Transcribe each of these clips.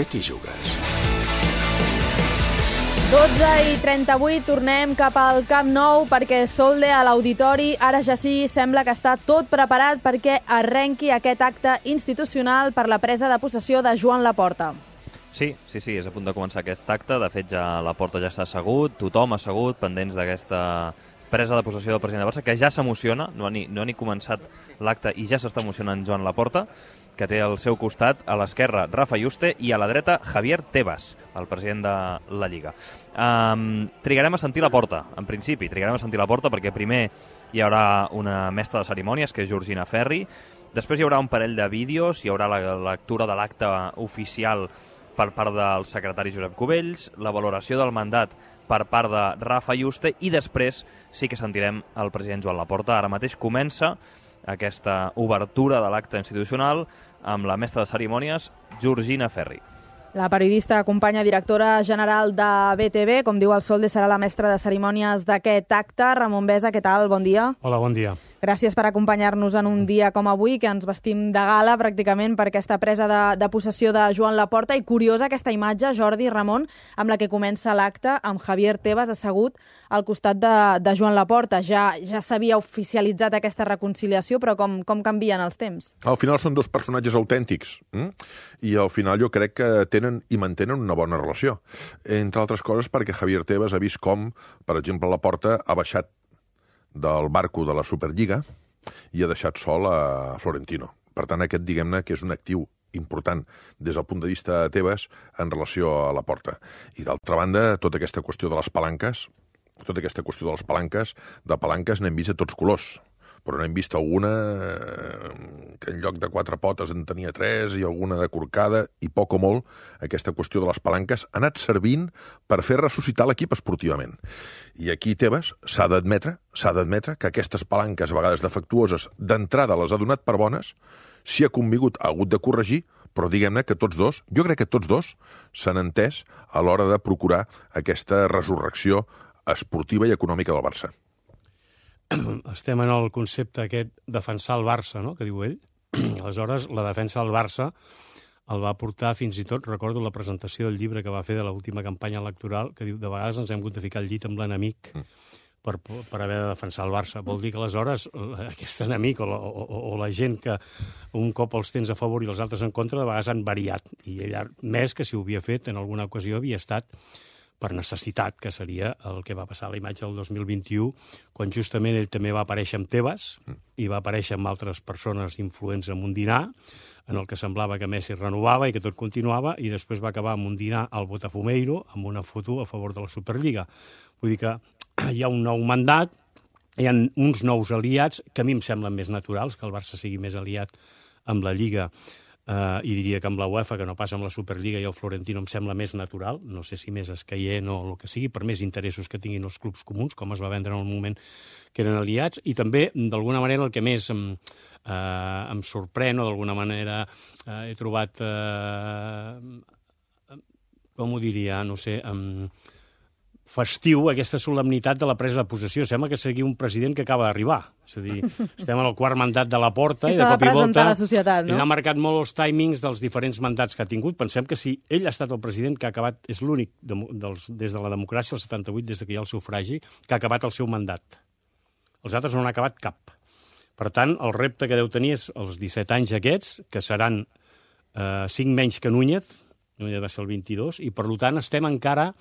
què t'hi jugues? 12:38, tornem cap al Camp Nou perquè Solde a l'Auditori ara ja sí sembla que està tot preparat perquè arrenqui aquest acte institucional per la presa de possessió de Joan Laporta. Sí, és a punt de començar aquest acte. De fet, ja Laporta ja està assegut, tothom assegut, pendents d'aquesta presa de possessió del president de Barça, que ja s'emociona, no ha ni començat l'acte i ja s'està emocionant Joan Laporta, que té al seu costat, a l'esquerra, Rafa Yuste, i a la dreta, Javier Tebas, el president de la Lliga. Trigarem a sentir Laporta, en principi, perquè primer hi haurà una mestra de cerimònies, que és Georgina Ferri, després hi haurà un parell de vídeos, hi haurà la lectura de l'acte oficial per part del secretari Josep Cubells, la valoració del mandat per part de Rafa Yuste, i després sí que sentirem el president Joan Laporta. Ara mateix comença aquesta obertura de l'acte institucional amb la mestra de cerimònies, Georgina Ferri. La periodista, companya directora general de BTV, com diu el Solde, serà la mestra de cerimònies d'aquest acte. Ramon Besa, què tal? Bon dia. Hola, bon dia. Gràcies per acompanyar-nos en un dia com avui, que ens vestim de gala pràcticament per aquesta presa de possessió de Joan Laporta. I curiosa aquesta imatge, Jordi i Ramon, amb la que comença l'acte, amb Javier Tebas assegut al costat de Joan Laporta. Ja s'havia oficialitzat aquesta reconciliació, però com canvien els temps? Al final són dos personatges autèntics, i al final jo crec que tenen i mantenen una bona relació. Entre altres coses perquè Javier Tebas ha vist com, per exemple, Laporta ha baixat del barco de la Superliga i ha deixat sol a Florentino. Per tant, aquest, diguem-ne, que és un actiu important des del punt de vista de Tebas en relació a Laporta. I d'altra banda, tota aquesta qüestió de les palanques, de palanques n'hem vist a tots colors, però n'hem vist alguna que en lloc de 4 potes en tenia 3 i alguna de corcada, i poc o molt aquesta qüestió de les palanques ha anat servint per fer ressuscitar l'equip esportivament. I aquí Tebas s'ha d'admetre que aquestes palanques, a vegades defectuoses, d'entrada les ha donat per bones, s'hi ha convingut, ha hagut de corregir, però diguem-ne que jo crec que tots dos s'han entès a l'hora de procurar aquesta resurrecció esportiva i econòmica del Barça. Estem en el concepte aquest defensar el Barça, no?, que diu ell. Aleshores, la defensa del Barça el va portar fins i tot, recordo la presentació del llibre que va fer de l'última campanya electoral, que diu, de vegades ens hem hagut de ficar al llit amb l'enemic per haver de defensar el Barça. Vol dir que aleshores aquest enemic o la gent que un cop els tens a favor i els altres en contra, de vegades han variat. I ell, més que si ho havia fet, en alguna ocasió havia estat per necessitat, que seria el que va passar a la imatge del 2021, quan justament ell també va aparèixer amb Tebas i va aparèixer amb altres persones influents en un dinar, en el que semblava que Messi renovava i que tot continuava, i després va acabar amb un dinar al Botafumeiro, amb una foto a favor de la Superliga. Vull dir que hi ha un nou mandat, hi ha uns nous aliats que a mi em semblen més naturals, que el Barça sigui més aliat amb la Lliga, i diria que amb la UEFA, que no passa amb la Superliga i el Florentino, em sembla més natural, no sé si més escaient o el que sigui, per més interessos que tinguin els clubs comuns, com es va vendre en el moment que eren aliats, i també, d'alguna manera, el que més em sorprèn, o d'alguna manera he trobat, com ho diria, no sé, festiu, aquesta solemnitat de la presa de possessió. Sembla que sigui un president que acaba d'arribar. És a dir, estem en el quart mandat de Laporta i de cop i volta ell ha marcat molt els timings dels diferents mandats que ha tingut. Pensem que si ell ha estat el president que ha acabat, és l'únic des de la democràcia, el 78, des que hi ha el sufragi, que ha acabat el seu mandat. Els altres no han acabat cap. Per tant, el repte que deu tenir és els 17 anys aquests, que seran 5 menys que Núñez va ser el 22, i per tant estem encara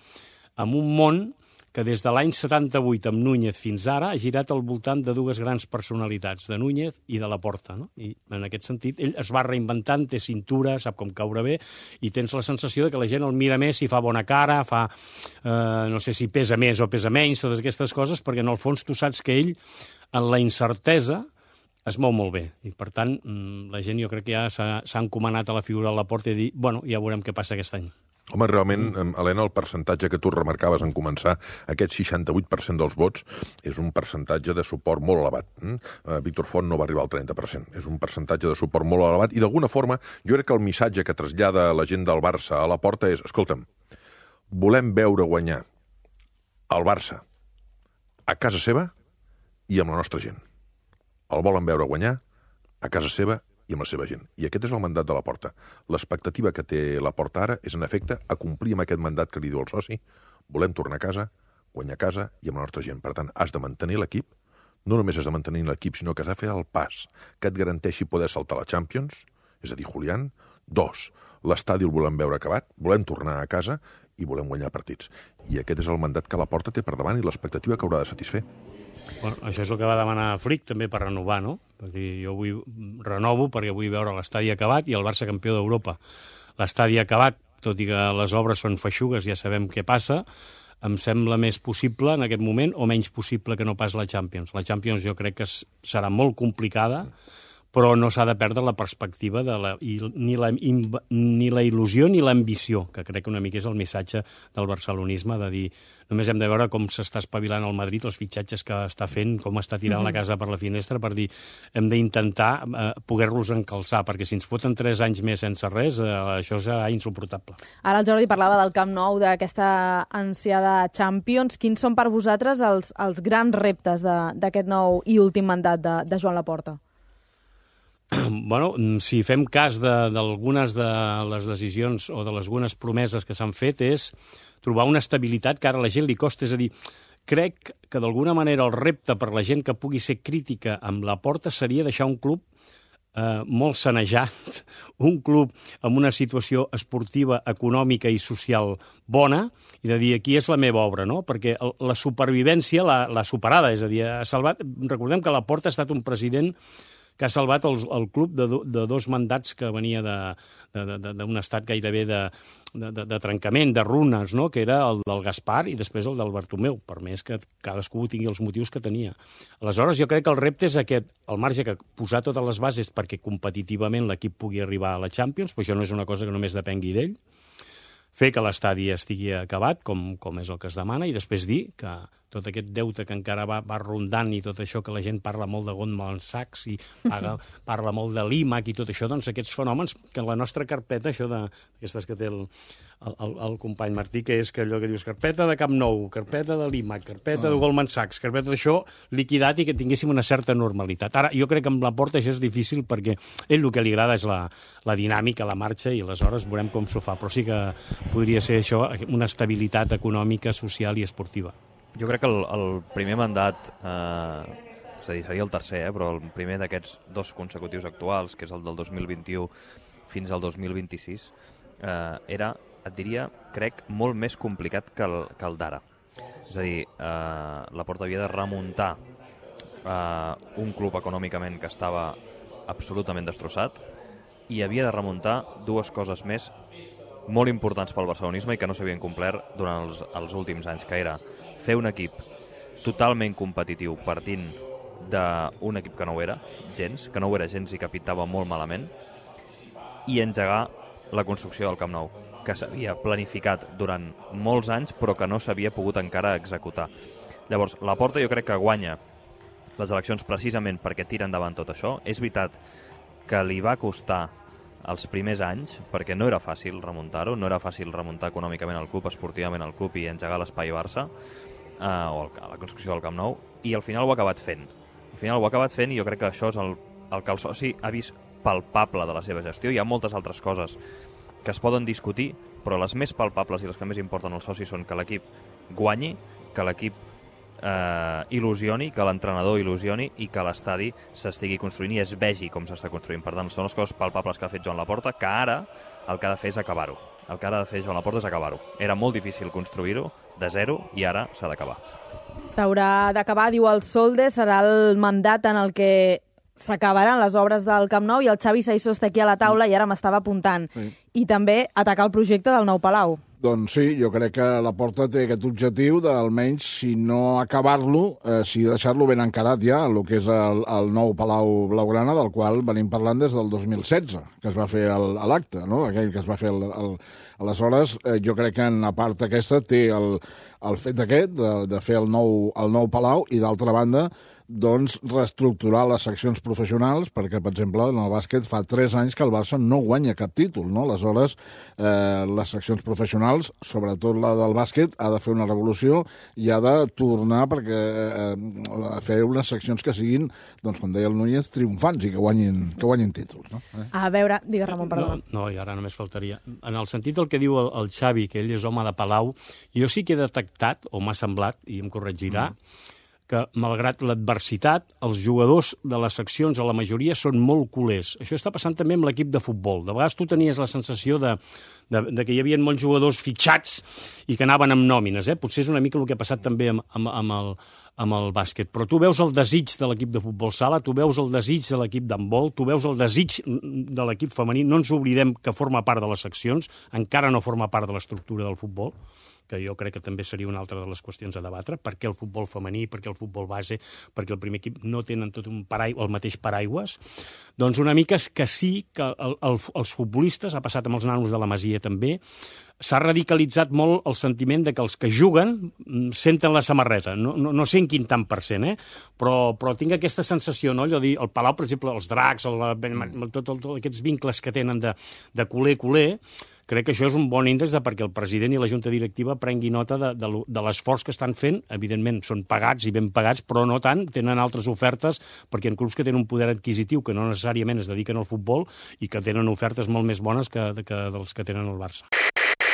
amb un món que des de l'any 78 amb Núñez fins ara ha girat al voltant de dues grans personalitats, de Núñez i de Laporta, no? I en aquest sentit ell es va reinventant, té cintura, sap com caure bé, i tens la sensació de que la gent el mira més si fa bona cara, no sé si pesa més o pesa menys, totes aquestes coses, perquè en el fons tu saps que ell, en la incertesa, es mou molt bé. I per tant, la gent jo crec que ja s'ha encomanat a la figura de Laporta i dir, bueno, ja veurem què passa aquest any. Home, realment, Helena, el percentatge que tu remarcaves en començar, aquest 68% dels vots, és un percentatge de suport molt elevat. Víctor Font no va arribar al 30%. És un percentatge de suport molt elevat i, d'alguna forma, jo crec que el missatge que trasllada la gent del Barça a Laporta és, escolta'm, volem veure guanyar el Barça a casa seva i amb la nostra gent. El volen veure guanyar a casa seva i amb la seva gent. I aquest és el mandat de la Porta. L'expectativa que té la Porta ara és, en efecte, acomplir amb aquest mandat que li diu el soci. Volem tornar a casa, guanyar a casa i amb la nostra gent. Per tant, has de mantenir l'equip. No només has de mantenir l'equip, sinó que has de fer el pas que et garanteixi poder saltar la Champions, és a dir, Julián. 2, l'estadi el volem veure acabat, volem tornar a casa i volem guanyar partits. I aquest és el mandat que la Porta té per davant i l'expectativa que haurà de satisfer. Bueno, això és el que va demanar Flick també per renovar, no? Per dir, jo renovo perquè vull veure l'estadi acabat i el Barça campió d'Europa. L'estadi acabat, tot i que les obres són feixugues, ja sabem què passa, em sembla més possible en aquest moment o menys possible que no pas la Champions. La Champions jo crec que serà molt complicada, però no s'ha de perdre la perspectiva ni la il·lusió ni l'ambició, que crec que una mica és el missatge del barcelonisme, de dir, només hem de veure com s'està espavilant el Madrid, els fitxatges que està fent, com està tirant la casa per la finestra, per dir, hem d'intentar poder-los encalçar, perquè si ens foten 3 anys més sense res, això serà insuportable. Ara el Jordi parlava del Camp Nou, d'aquesta ansiada Champions. Quins són per vosaltres els grans reptes d'aquest nou i últim mandat de Joan Laporta? Bueno, si fem cas d'algunes de les decisions o de algunes promeses que s'han fet, és trobar una estabilitat que ara a la gent li costa. És a dir, crec que d'alguna manera el repte per la gent que pugui ser crítica amb Laporta seria deixar un club molt sanejat, un club amb una situació esportiva, econòmica i social bona, i de dir, aquí és la meva obra, no? Perquè la supervivència l'ha superada, és a dir, ha salvat... Recordem que Laporta ha estat un president que ha salvat el club de 2 mandats que venia d'un estat gairebé de trencament, de runes, no? Que era el del Gaspar i després el del Bartomeu, per més que cadascú tingui els motius que tenia. Aleshores, jo crec que el repte és aquest, al marge que posar totes les bases perquè competitivament l'equip pugui arribar a la Champions, però això no és una cosa que només depengui d'ell, fer que l'estadi estigui acabat, com és el que es demana, i després dir que tot aquest deute que encara va rondant i tot això que la gent parla molt de Goldman Sachs i parla molt de l'IMAC i tot això, doncs aquests fenòmens que en la nostra carpeta, això d'aquestes que té el company Martí, que és que allò que dius carpeta de Camp Nou, carpeta de l'IMAC, carpeta de Goldman Sachs, carpeta d'això, liquidat i que tinguéssim una certa normalitat. Ara, jo crec que amb Laporta això és difícil perquè ell el que li agrada és la dinàmica, la marxa, i aleshores veurem com s'ho fa, però sí que podria ser això, una estabilitat econòmica, social i esportiva. Jo crec que el primer mandat, és a dir, seria el tercer, però el primer d'aquests 2 consecutius actuals, que és el del 2021 fins al 2026, era, et diria, crec, molt més complicat que el d'ara. És a dir, Laporta havia de remuntar un club econòmicament que estava absolutament destrossat i havia de remuntar 2 coses més molt importants pel barcelonisme i que no s'havien complert durant els últims anys, que era fer un equip totalment competitiu partint d'un equip que no ho era gens i que pintava molt malament, i engegar la construcció del Camp Nou, que s'havia planificat durant molts anys però que no s'havia pogut encara executar. Llavors, Laporta jo crec que guanya les eleccions precisament perquè tira endavant tot això. És veritat que li va costar els primers anys, perquè no era fàcil remuntar-ho, no era fàcil remuntar econòmicament el club, esportivament el club i engegar l'espai Barça, o la construcció del Camp Nou, i al final ho ha acabat fent. Al final ho ha acabat fent i jo crec que això és el que el soci ha vist palpable de la seva gestió. Hi ha moltes altres coses que es poden discutir, però les més palpables i les que més importen als socis són que l'equip guanyi, que l'equip il·lusioni, que l'entrenador il·lusioni i que l'estadi s'estigui construint i es vegi com s'està construint. Per tant, són les coses palpables que ha fet Joan Laporta, que ara el que ha de fer és acabar-ho. El que ha de fer Joan Laporta és acabar-ho. Era molt difícil construir-ho de zero i ara s'ha d'acabar. S'haurà d'acabar, diu el Solde, serà el mandat en el que s'acabaran les obres del Camp Nou, i el Xavi Saissó està aquí a la taula i ara m'estava apuntant. Sí. I també atacar el projecte del nou Palau. Doncs sí, jo crec que Laporta té aquest objectiu d'almenys, si no acabar-lo, si deixar-lo ben encarat ja, el que és el nou Palau Blaugrana, del qual venim parlant des del 2016, que es va fer l'acte, no? Aquell que es va fer aleshores. Jo crec que en la part aquesta té el fet aquest de fer el nou Palau, i d'altra banda doncs, reestructurar les seccions professionals, perquè, per exemple, en el bàsquet fa 3 anys que el Barça no guanya cap títol, no? Aleshores, les seccions professionals, sobretot la del bàsquet, ha de fer una revolució i ha de tornar a fer unes seccions que siguin, doncs, com deia el Núñez, triomfants i que guanyin títols, no? A veure, digues, Ramon, perdona. No, i ara només faltaria. En el sentit del que diu el Xavi, que ell és home de Palau, jo sí que he detectat, o m'ha semblat, i em corregirà, que, malgrat l'adversitat, els jugadors de les seccions, a la majoria, són molt culers. Això està passant també amb l'equip de futbol. De vegades tu tenies la sensació de que hi havia molts jugadors fitxats i que anaven amb nòmines. Potser és una mica el que ha passat també amb el bàsquet. Però tu veus el desig de l'equip de futbol sala, tu veus el desig de l'equip d'handbol, tu veus el desig de l'equip femení. No ens oblidem que forma part de les seccions, encara no forma part de l'estructura del futbol, que jo crec que també seria una altra de les qüestions a debatre, per què el futbol femení, per què el futbol base, perquè el primer equip no tenen tot el mateix paraigües. Doncs una mica és que sí que els futbolistes, ha passat amb els nanos de la Masia també, s'ha radicalitzat molt el sentiment de que els que juguen senten la samarreta. No sé en quin tant per cent, però tinc aquesta sensació, no? Allò dir, el Palau, per exemple, els dracs, tots aquests vincles que tenen de culer, crec que això és un bon índex perquè el president i la junta directiva prengui nota de l'esforç que estan fent. Evidentment, són pagats i ben pagats, però no tant. Tenen altres ofertes perquè en clubs que tenen un poder adquisitiu que no necessàriament es dediquen al futbol i que tenen ofertes molt més bones que dels que tenen el Barça.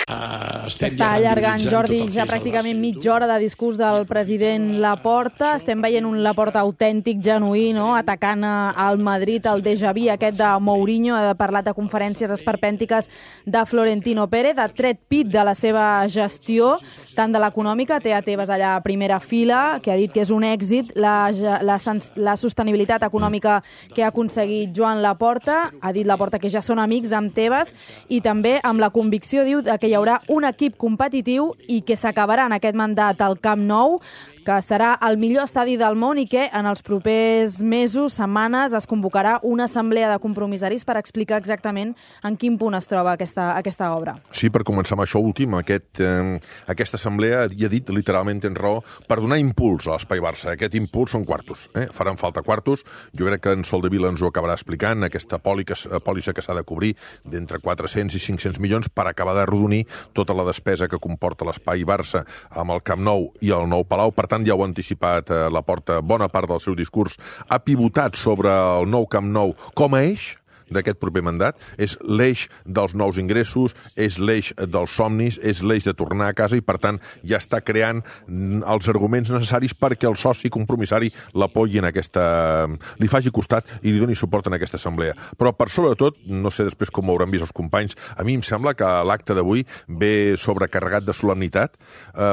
S'està allargant, Jordi, ja pràcticament mitja hora de discurs del president Laporta. Estem veient un Laporta autèntic, genuí, no? Atacant al Madrid, el déjà vu aquest de Mourinho. Ha parlat de conferències esperpèntiques de Florentino Pérez, ha tret pit de la seva gestió, tant de l'econòmica, té a Tebas allà a primera fila, que ha dit que és un èxit la sostenibilitat econòmica que ha aconseguit Joan Laporta. Ha dit Laporta que ja són amics amb Tebas i també amb la convicció, diu, que hi haurà un equip competitiu i que s'acabarà en aquest mandat al Camp Nou, que serà el millor estadi del món i que en els propers mesos, setmanes, es convocarà una assemblea de compromissaris per explicar exactament en quin punt es troba aquesta obra. Sí, per començar amb això últim, aquesta assemblea, ja he dit, literalment tens raó, per donar impuls a l'Espai Barça. Aquest impuls són quartos. Faran falta quartos. Jo crec que en Soldevila ens ho acabarà explicant, aquesta pòlissa que s'ha de cobrir d'entre 400 i 500 milions per acabar de rodonir tota la despesa que comporta l'Espai Barça amb el Camp Nou i el nou Palau. Per tant, ja ho ha anticipat Laporta, bona part del seu discurs ha pivotat sobre el nou Camp Nou com a eix d'aquest proper mandat. És l'eix dels nous ingressos, és l'eix dels somnis, és l'eix de tornar a casa i, per tant, ja està creant els arguments necessaris perquè el soci compromissari l'apoyi en li faci costat i li doni suport en aquesta assemblea. Però, per sobretot, no sé després com ho hauran vist els companys, a mi em sembla que l'acte d'avui ve sobrecarregat de solemnitat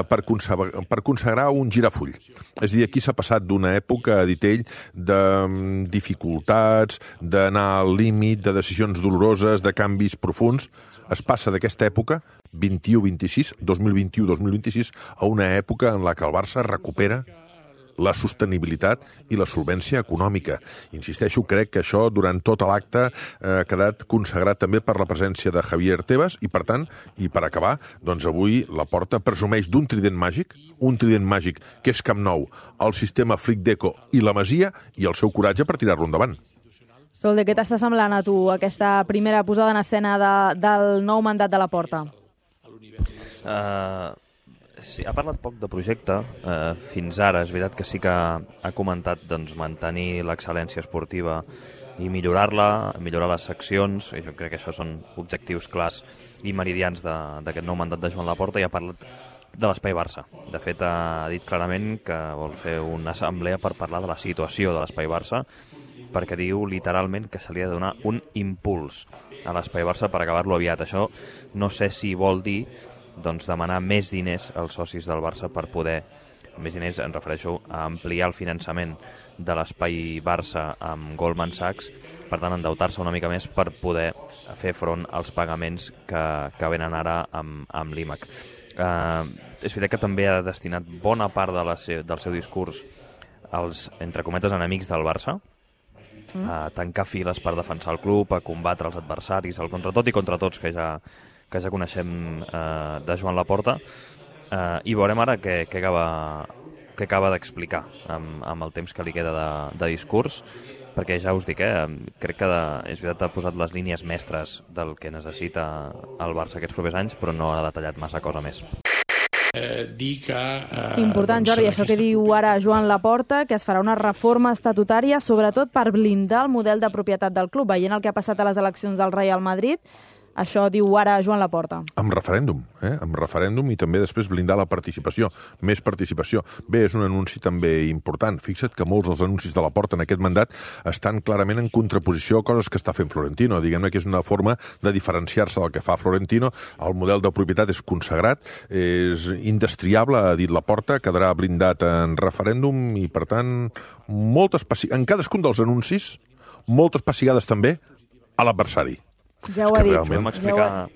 per consagrar un girafull. És a dir, aquí s'ha passat d'una època, ha dit ell, de dificultats, d'anar al límit, de decisions doloroses, de canvis profunds. Es passa d'aquesta època, 21-26, 2021-2026, a una època en la que el Barça recupera la sostenibilitat i la solvència econòmica. Insisteixo, crec que això durant tot l'acte ha quedat consagrat també per la presència de Javier Tebas i, per tant, i per acabar, doncs avui Laporta presumeix d'un trident màgic, que és Camp Nou, el sistema Flick Deco i la Masia i el seu coratge per tirar-lo endavant. Solde, què t'està semblant a tu aquesta primera posada en escena del nou mandat de Laporta? Sí, ha parlat poc de projecte fins ara. És veritat que sí que ha comentat mantenir l'excel·lència esportiva i millorar-la, millorar les seccions. I jo crec que això són objectius clars i meridians d'aquest nou mandat de Joan Laporta, i ha parlat de l'Espai Barça. De fet, ha dit clarament que vol fer una assemblea per parlar de la situació de l'Espai Barça, perquè diu literalment que se li ha de donar un impuls a l'Espai Barça per acabar-lo aviat. Això no sé si vol dir demanar més diners als socis del Barça per poder, més diners em refereixo a ampliar el finançament de l'Espai Barça amb Goldman Sachs, per tant endeutar-se una mica més per poder fer front als pagaments que venen ara amb l'IMAC. És veritat que també ha destinat bona part del seu discurs als, entre cometes, enemics del Barça, a tancar files per defensar el club, a combatre els adversaris, el contra tot i contra tots que ja coneixem de Joan Laporta, i veurem ara què que acaba d'explicar amb el temps que li queda de discurs, perquè ja us dic, crec que és veritat ha posat les línies mestres del que necessita el Barça aquests propers anys, però no ha detallat massa cosa més. Important, Jordi, això que diu ara Joan Laporta, que es farà una reforma estatutària, sobretot per blindar el model de propietat del club. Veient el que ha passat a les eleccions del Real Madrid, això diu ara Joan Laporta. Amb referèndum, amb referèndum i també després blindar la participació, més participació. Bé, és un anunci també important. Fixa't que molts dels anuncis de Laporta en aquest mandat estan clarament en contraposició a coses que està fent Florentino. Diguem-ne que és una forma de diferenciar-se del que fa Florentino. El model de propietat és consagrat, és indestriable, ha dit Laporta, quedarà blindat en referèndum i, per tant, en cadascun dels anuncis, moltes pessigades també a l'adversari. Ja ho ha dit. Vam explicar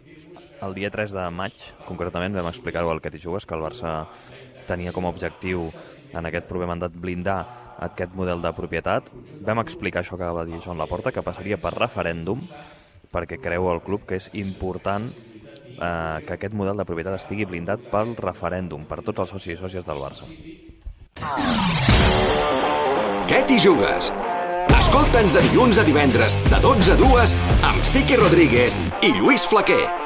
el dia 3 de maig, concretament, vam explicar-ho al Què t'hi jugues, que el Barça tenia com a objectiu en aquest proper mandat blindar aquest model de propietat. Vam explicar això que va dir Joan Laporta, que passaria per referèndum, perquè creu el club que és important que aquest model de propietat estigui blindat pel referèndum, per tots els socis i sòcies del Barça. Què t'hi jugues? Escolta'ns de dilluns a divendres, de 12 a 2, amb Sique Rodríguez i Lluís Flaquer.